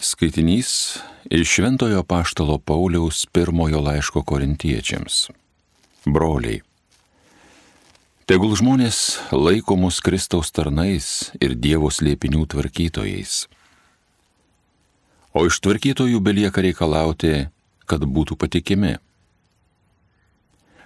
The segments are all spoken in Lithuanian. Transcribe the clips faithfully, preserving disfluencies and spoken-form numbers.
Skaitinys iš Šventojo Apaštalo Pauliaus pirmojo laiško Korintiečiams. Broliai, tegul žmonės laiko mus Kristaus tarnais ir Dievo slėpinių tvarkytojais. O iš tvarkytojų belieka reikalauti, kad būtų patikimi.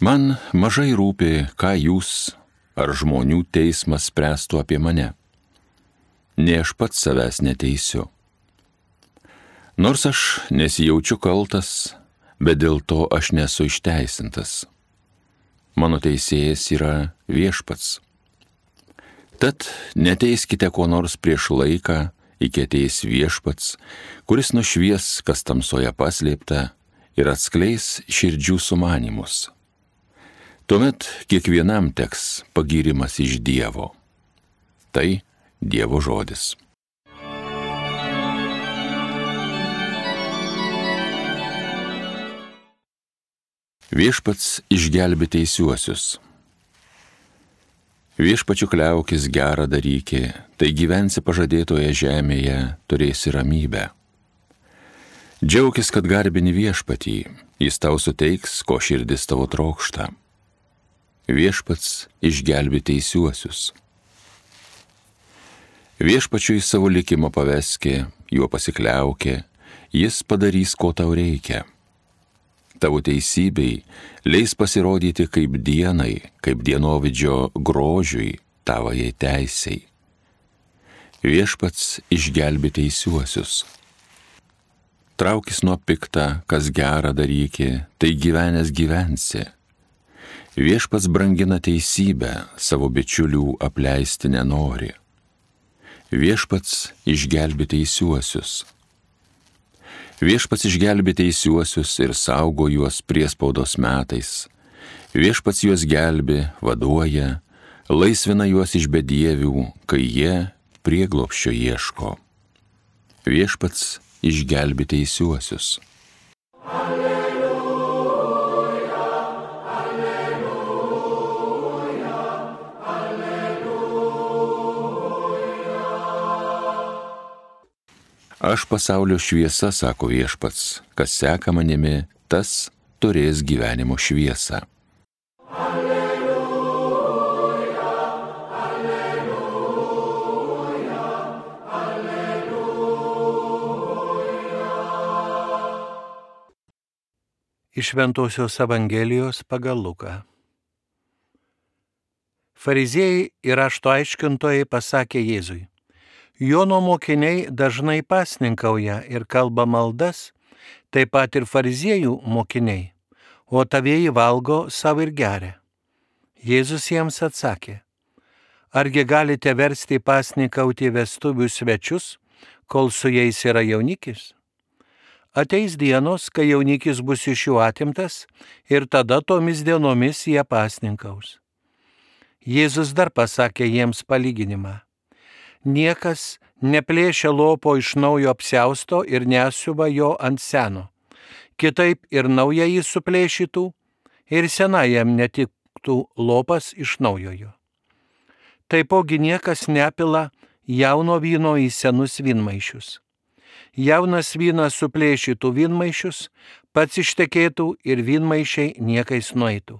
Man mažai rūpi, ką jūs ar žmonių teismas spręstų apie mane. Ne aš pats savęs neteisiu. Nors aš nesijaučiu kaltas, bet dėl to aš nesu išteisintas. Mano teisėjas yra Viešpats. Tad neteiskite ko nors prieš laiką, iki ateis Viešpats, kuris nušvies, kas tamsoje paslėpta, ir atskleis širdžių sumanymus. Tuomet kiekvienam teks pagyrimas iš Dievo. Tai Dievo žodis. Viešpats išgelbė teisiuosius. Viešpačiu kliaukis gerą daryki, tai gyvensi pažadėtoje žemėje, turėsi ramybę. Džiaukis, kad garbini Viešpatį, jis tau suteiks, ko širdis tavo trokšta. Viešpats išgelbė teisiuosius. Viešpačiui savo likimą paveski, juo pasikliaukė, jis padarys, ko tau reikia. Tavo teisybei leis pasirodyti kaip dienai, kaip dienovidžio grožiui, tavajai teisei. Viešpats išgelbė teisiuosius. Traukis nuo pikta, kas gerą daryki, tai gyvenęs gyvensi. Viešpats brangina teisybę, savo bičiulių apleisti nenori. Viešpats išgelbė teisiuosius. Viešpats išgelbė teisiuosius ir saugo juos priespaudos metais. Viešpats juos gelbė, vaduoja, laisvina juos iš bedievių, kai jie prieglobsčio ieško. Viešpats išgelbė teisiuosius. Alleluja, alleluja, alleluja. Aš pasaulio šviesa, sako Viešpats, kas seka manimi, tas turės gyvenimo šviesą. Alleluja, alleluja, alleluja. Iš Šventosios Evangelijos pagal Luką. Fariziejai ir rašto aiškintojai pasakė Jėzui: Jono mokiniai dažnai pasninkauja ir kalba maldas, taip pat ir fariziejų mokiniai, o tavieji valgo savo ir geria. Jėzus jiems atsakė: Argi galite versti pasninkauti vestuvių svečius, kol su jais yra jaunikis? Ateis dienos, kai jaunikis bus iš jų atimtas, ir tada tomis dienomis jie pasninkaus. Jėzus dar pasakė jiems palyginimą: Niekas neplėšia lopo iš naujo apsiausto ir nesiuva jo ant seno. Kitaip ir naują jį suplėšytų, ir senajam netiktų lopas iš naujojo. Taipogi niekas nepila jauno vyno į senus vynmaišius. Jaunas vynas suplėšytų vynmaišius, pats ištekėtų ir vynmaišiai niekais nueitų.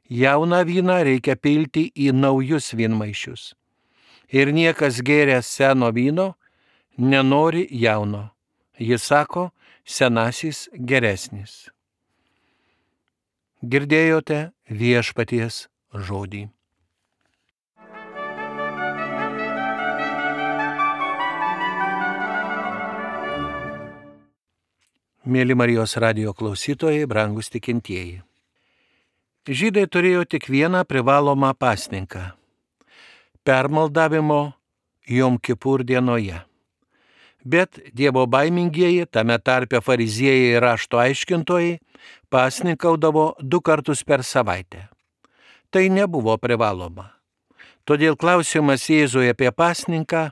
Jauną vyną reikia pilti į naujus vynmaišius. Ir niekas gėręs seno vyno nenori jauno. Jis sako, senasis geresnis. Girdėjote Viešpaties žodį. Mėly Marijos radijo klausytojai, brangūs tikintieji. Žydai turėjo tik vieną privalomą pasninką – permaldavimo Jom Kipur dienoje. Bet Dievo baimingieji, tame tarpe fariziejai ir rašto aiškintojai, pasninkaudavo du kartus per savaitę. Tai nebuvo privaloma. Todėl klausimas Jėzui apie pasninką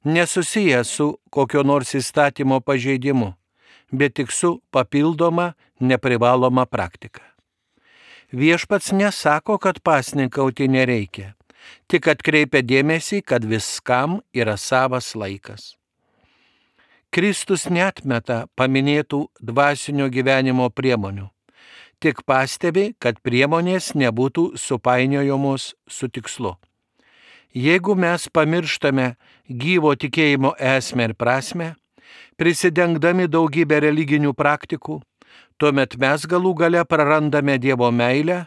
nesusijęs su kokio nors įstatymo pažeidimu, bet tik su papildoma neprivaloma praktika. Viešpats nesako, kad pasninkauti nereikia, tik atkreipia dėmesį, kad viskam yra savas laikas. Kristus neatmeta paminėtų dvasinio gyvenimo priemonių, tik pastebi, kad priemonės nebūtų supainiojamos su tikslu. Jeigu mes pamirštame gyvo tikėjimo esmę ir prasmę, prisidengdami daugybę religinių praktikų, tuomet mes galų gale prarandame Dievo meilę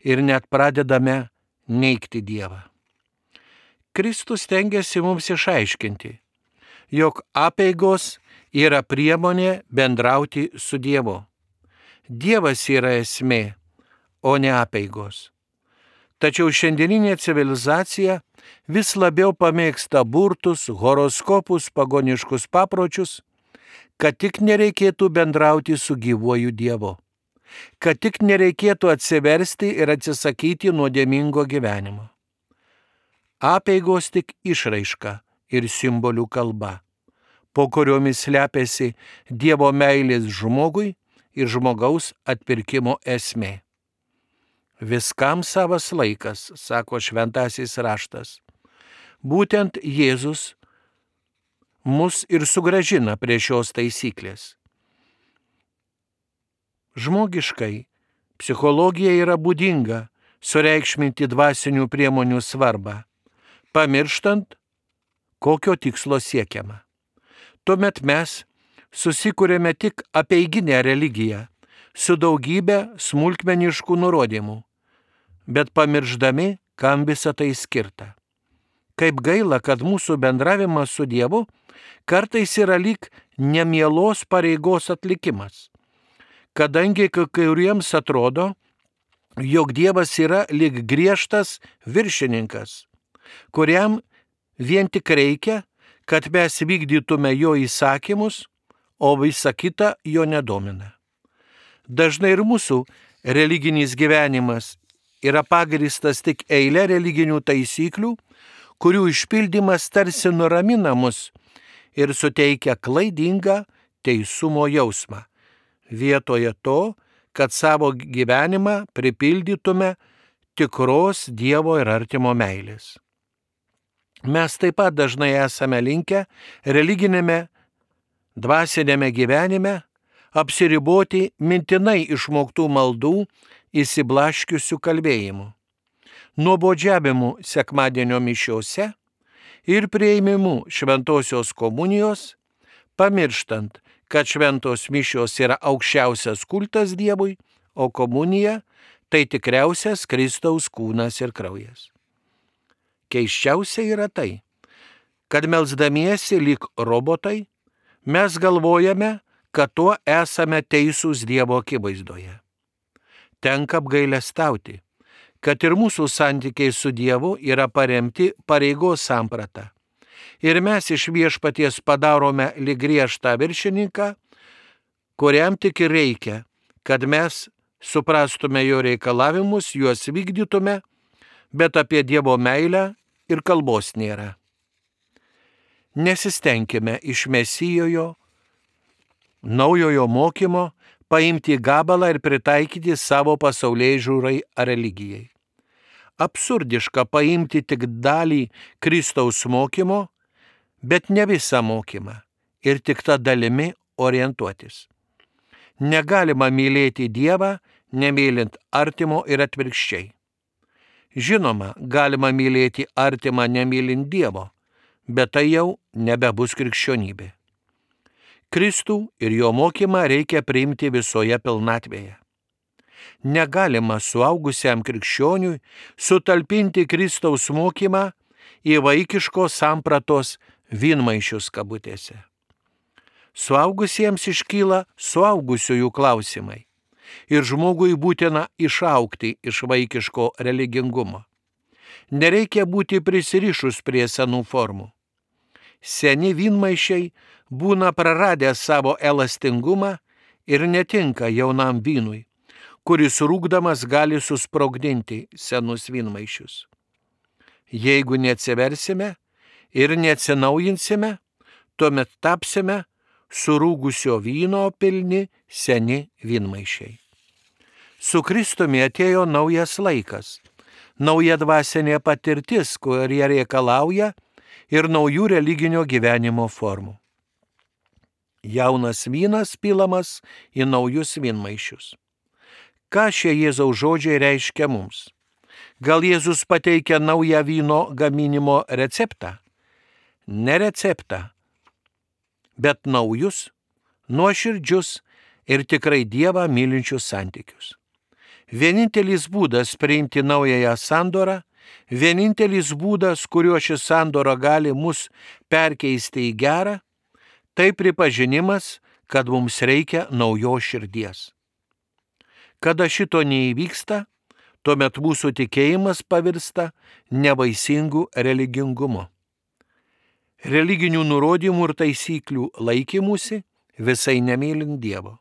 ir net pradedame neigti Dievą. Kristus stengiasi mums išaiškinti, jog apeigos yra priemonė bendrauti su Dievu. Dievas yra esmė, o ne apeigos. Tačiau šiandieninė civilizacija vis labiau pamėgsta burtus, horoskopus, pagoniškus papročius, kad tik nereikėtų bendrauti su gyvuoju Dievu, kad tik nereikėtų atsiversti ir atsisakyti nuodėmingo gyvenimo. Apeigos tik išraiška ir simbolių kalba, po kuriomis slepiasi Dievo meilės žmogui ir žmogaus atpirkimo esmė. Viskam savas laikas, sako šventasis raštas. Būtent Jėzus mus ir sugrąžina prie šios taisyklės. Žmogiškai, psichologija yra būdinga sureikšminti dvasinių priemonių svarbą, pamirštant, kokio tikslo siekiama. Tuomet mes susikūrėme tik apeiginę religiją su daugybė smulkmeniškų nurodymų, bet pamiršdami, kam visa tai skirta. Kaip gaila, kad mūsų bendravimas su Dievu kartais yra lyg nemielos pareigos atlikimas, kadangi kai kuriems atrodo, jog Dievas yra lyg griežtas viršininkas, kuriam vien tik reikia, kad mes vykdytume jo įsakymus, o visa kita jo nedomina. Dažnai ir mūsų religinis gyvenimas yra pagrįstas tik eilė religinių taisyklių, kurių išpildymas tarsi nuramina mus ir suteikia klaidingą teisumo jausmą, vietoje to, kad savo gyvenimą pripildytume tikros Dievo ir artimo meilės. Mes taip pat dažnai esame linkę religinėme, dvasinėme gyvenime apsiriboti mintinai išmoktų maldų įsiblaškiusių kalbėjimų, nuobodžiavimu sekmadienio mišiose ir prieimimu šventosios komunijos, pamirštant, kad šventos mišios yra aukščiausias kultas Dievui, o komunija tai tikriausias Kristaus kūnas ir kraujas. Keisčiausia yra tai, kad melsdamiesi lyg robotai, mes galvojame, kad tuo esame teisūs Dievo akivaizdoje. Tenka apgailestauti, kad ir mūsų santykiai su Dievu yra paremti pareigos samprata. Ir mes iš viešpaties padarome lyg griežtą viršininką, kuriam tik ir reikia, kad mes suprastume jo reikalavimus, juos vykdytume, bet apie Dievo meilę ir kalbos nėra. Nesistengime iš Mesijojo, naujojo mokymo, paimti gabalą ir pritaikyti savo pasaulėžiūrai ar religijai. Absurdiška paimti tik dalį Kristaus mokymo, bet ne visą mokymą ir tik tą dalimi orientuotis. Negalima mylėti Dievą, nemylint artimo ir atvirkščiai. Žinoma, galima mylėti artimą nemylint Dievo, bet tai jau nebebus krikščionybė. Kristų ir jo mokymą reikia priimti visoje pilnatvėje. Negalima suaugusiam krikščioniui sutalpinti Kristaus mokymą į vaikiškos sampratos vynmaišius kabutėse. Suaugusiems iškyla suaugusiųjų klausimai ir žmogui būtina išaugti iš vaikiško religingumo. Nereikia būti prisirišus prie senų formų. Seni vynmaišiai būna praradę savo elastingumą ir netinka jaunam vynui, kuris rūgdamas gali susprogdinti senus vynmaišius. Jeigu neatsiversime ir neatsinaujinsime, tuomet tapsime surūgusio vyno pilni seni vynmaišiai. Su Kristumi atėjo naujas laikas, nauja dvasinė patirtis, kurie reikalauja ir naujų religinio gyvenimo formų. Jaunas vynas pilamas į naujus vynmaišius. Ką šie Jėzaus žodžiai reiškia mums? Gal Jėzus pateikia naują vyno gaminimo receptą? Ne receptą, bet naujus, nuoširdžius ir tikrai Dievą mylinčius santykius. Vienintelis būdas priimti naująją sandorą, vienintelis būdas, kuriuo ši sandora gali mus perkeisti į gerą, tai pripažinimas, kad mums reikia naujos širdies. Kada šito neįvyksta, tuomet mūsų tikėjimas pavirsta nevaisingų religingumu. Religinių nurodymų ir taisyklių laikymusi visai nemylint Dievo.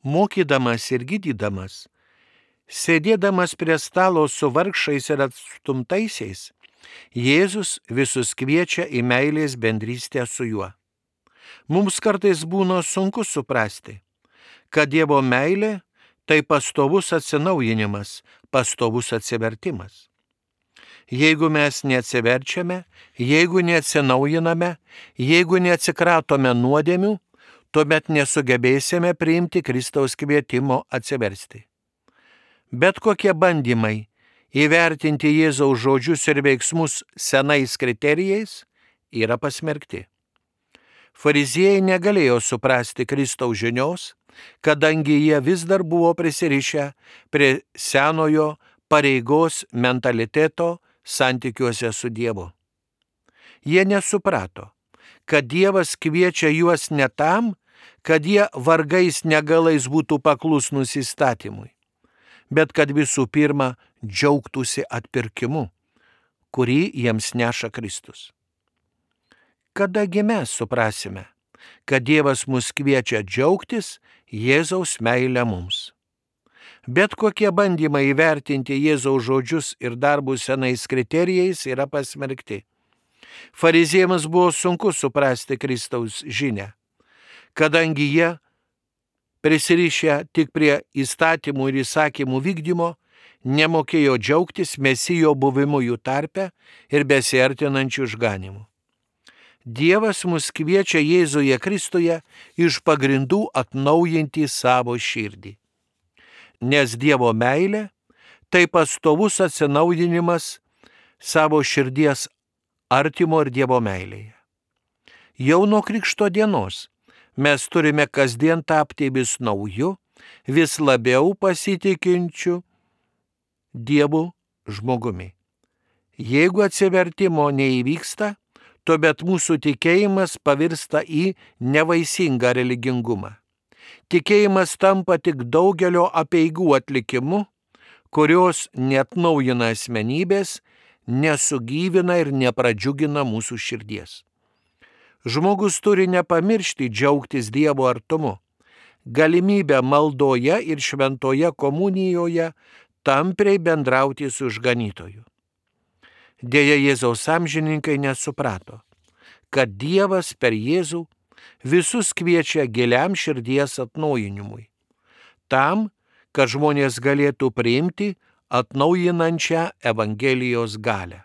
Mokydamas ir gydydamas, sėdėdamas prie stalo su vargšais ir atstumtaisiais, Jėzus visus kviečia į meilės bendrystę su juo. Mums kartais būna sunku suprasti, kad Dievo meilė tai pastovus atsinaujinimas, pastovus atsivertimas. Jeigu mes neatsiverčiame, jeigu neatsinaujiname, jeigu neatsikratome nuodėmių, tuomet nesugebėsime priimti Kristaus kvietimo atsiversti. Bet kokie bandymai įvertinti Jėzaus žodžius ir veiksmus senais kriterijais yra pasmerkti. Fariziejai negalėjo suprasti Kristaus žinios, kadangi jie vis dar buvo prisirišę prie senojo pareigos mentaliteto santykiuose su Dievu. Jie nesuprato, kad Dievas kviečia juos ne tam, kad jie vargais negalais būtų paklusnūs įstatymui, bet kad visų pirma džiaugtųsi atpirkimu, kurį jiems neša Kristus. Kadagi mes suprasime, kad Dievas mus kviečia džiaugtis Jėzaus meilę mums. Bet kokie bandymai įvertinti Jėzaus žodžius ir darbus senais kriterijais yra pasmerkti. Fariziejams buvo sunku suprasti Kristaus žinią, kadangi jie, prisirišę tik prie įstatymų ir įsakymų vykdymo, nemokėjo džiaugtis Mesijo buvimu jų tarpe ir besiartinančių išganimų. Dievas mus kviečia Jėzuje Kristuje iš pagrindų atnaujinti savo širdį. Nes Dievo meilė tai pastovus atsinaujinimas savo širdies artimo ir Dievo meilėje. Jau nuo Krikšto dienos mes turime kasdien tapti vis nauju, vis labiau pasitikinčiu Dievu žmogumi. Jeigu atsivertimo neįvyksta, tuomet mūsų tikėjimas pavirsta į nevaisingą religingumą. Tikėjimas tampa tik daugelio apeigų atlikimu, kurios neatnaujina asmenybės, nesugyvina ir nepradžiugina mūsų širdies. Žmogus turi nepamiršti džiaugtis Dievo artumu, galimybę maldoje ir šventoje komunijoje tampriai bendrauti su išganytoju. Deja, Jėzaus amžininkai nesuprato, kad Dievas per Jėzų visus kviečia giliam širdies atnaujinimui, tam, kad žmonės galėtų priimti atnaujinančią Evangelijos galią.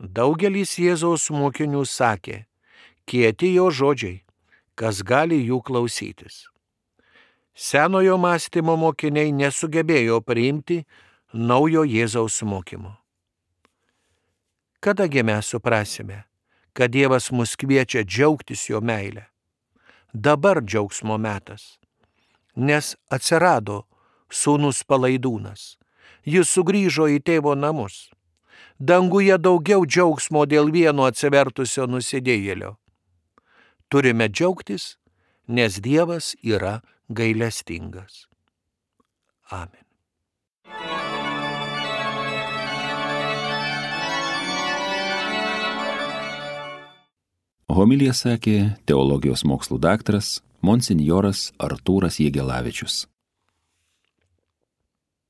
Daugelis Jėzaus mokinių sakė, kieti jo žodžiai, kas gali jų klausytis. Senojo mąstymo mokiniai nesugebėjo priimti naujo Jėzaus mokymo. Kadagi mes suprasime, kad Dievas mus kviečia džiaugtis jo meilę? Dabar džiaugsmo metas, nes atsirado sūnus palaidūnas. Jis sugrįžo į tėvo namus. Danguje daugiau džiaugsmo dėl vieno atsivertusio nusidėjėlio. Turime džiaugtis, nes Dievas yra gailestingas. Amen. Homiliją sakė teologijos mokslų daktaras monsinjoras Artūras Jegelavičius.